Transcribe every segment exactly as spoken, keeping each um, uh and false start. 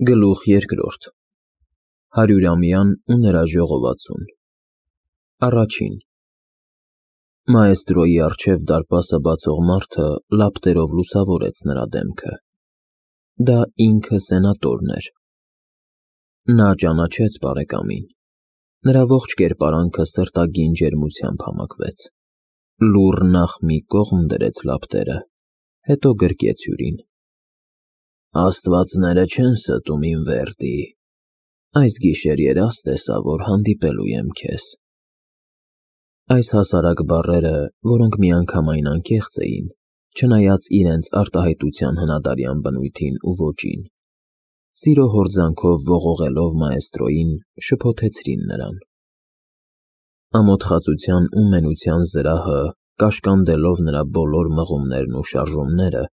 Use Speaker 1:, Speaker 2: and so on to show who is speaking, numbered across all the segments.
Speaker 1: Գլուխ երկրորդ Հարյուրամյան ու նրա ժողովածուն Առաջին Մաեստրոյի առջև դարպասը բացող մարդը լապտերով լուսավորեց նրա դեմքը. դա ինքը սենատորն էր։ Նա ճանաչեց բարեկամին, նրա ողջ կերպարանքը սրտագին ջերմությամբ համակվեց, լուռ նախ մի կողմ դրեց լապտերը, հետո գրկեց հյուրին. Աստվածները չեն ստում իմ Վերդի, այս գիշեր երազ տեսա, որ հանդիպելու եմ քեզ։ Այս հասարակ բառերը, որոնք միանգամայն անկեղծ էին, չնայած իրենց արտահայտության հնադարյան բնույթին ու ոճին, սիրո հորձանքով ողողելով մաեստրոյին, շփոթեցրին նրան։ Ամոթխածության ու մենության զրահը կաշկանդելով նրա բոլոր մղումներն ու շարժումները,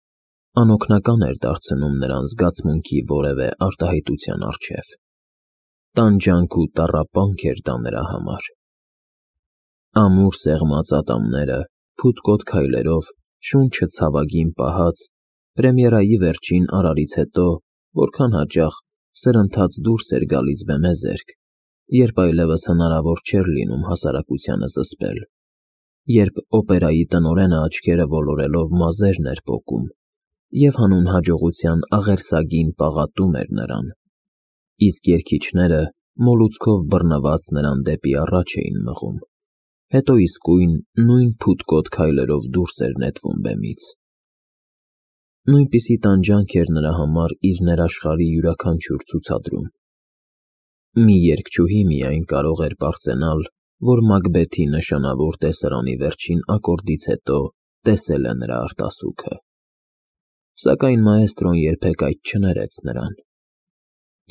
Speaker 1: անօգնական էր դարձնում նրան զգացմունքի որևէ արտահայտության առջև։ Տանջանք ու տառապանք էր դա նրա համար։ Ամուր սեղմած ատամները, փութկոտ քայլերով, շունչը ցավագին պահած, պրեմիերայի վերջին արարից հետո, որքան հաճախ սրընթաց դուրս էր գալիս բեմեզերք, երբ այլևս հնարավոր չէր լինում հասարակությանը զսպել, երբ օպերայի տնօրենը աչքերը ոլորելով մազերն էր պոկում և հանուն հաջողության աղերսագին պաղատում էր նրան, իսկ երգիչները մոլուցքով բռնված նրան դեպի առաջ էին մղում, հետո իսկույն նույն փութկոտ քայլերով դուրս էր նետվում բեմից։ Նույնպիսի տանջանք էր նրա համար իր ներաշխարհի յուրաքանչյուր ցուցադրում։ Մի երգչուհի միայն կարող էր պարծենալ, որ Մակբեթի նշանավոր տեսարանի վերջին ակորդից հետո տեսել է նրա արտասուքը։ Սակայն մաեստրոն երբեք այդ չներեց նրան։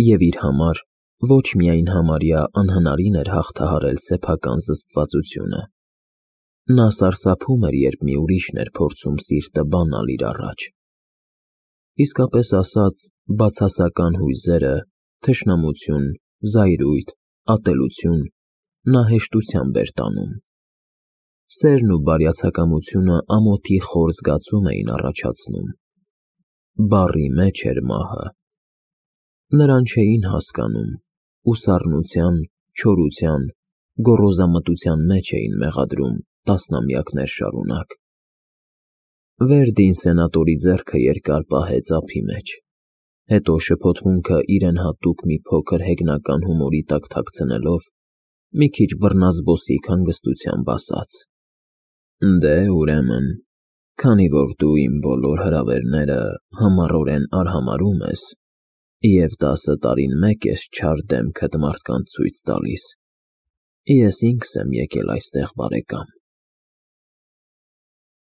Speaker 1: Եվ իր համար ոչ միայն համարյա անհնարին էր հաղթահարել սեփական զսպվածությունը։ Նա սարսափում էր, երբ մի ուրիշն էր փորձում սիրտը բանալ իր առաջ։ Իսկապես ասած, բացասական հույզերը, թշնամություն, զայրույթ, ատելություն նա հեշտությամբ էր տանում։ Սերն ու բարյացակամությունը ամոթի խոր զգացում էին առաջացնում։ Բառի մեջ էր մահը։ Նրան չէին հասկանում ու սառնության, չորության, գոռոզամտության մեջ էին մեղադրում տասնամյակներ շարունակ։ Վերդին սենատորի ձեռքը երկար պահեց ափի մեջ, հետո շփոթմունքը իրեն հատուկ մի փոքր հեգնական հումորի տակ թաքցնելով, մի քիչ բռնազբոսիկ հանգստությամբ ասաց. Դե, ուրեմն, քանի որ դու իմ բոլոր հրավերները համառորեն արհամարհում ես և տասը տարին մեկ ես չար դեմքդ մարդկանց ցույց տալիս, ես ինքս եմ եկել այստեղ, բարեկամ։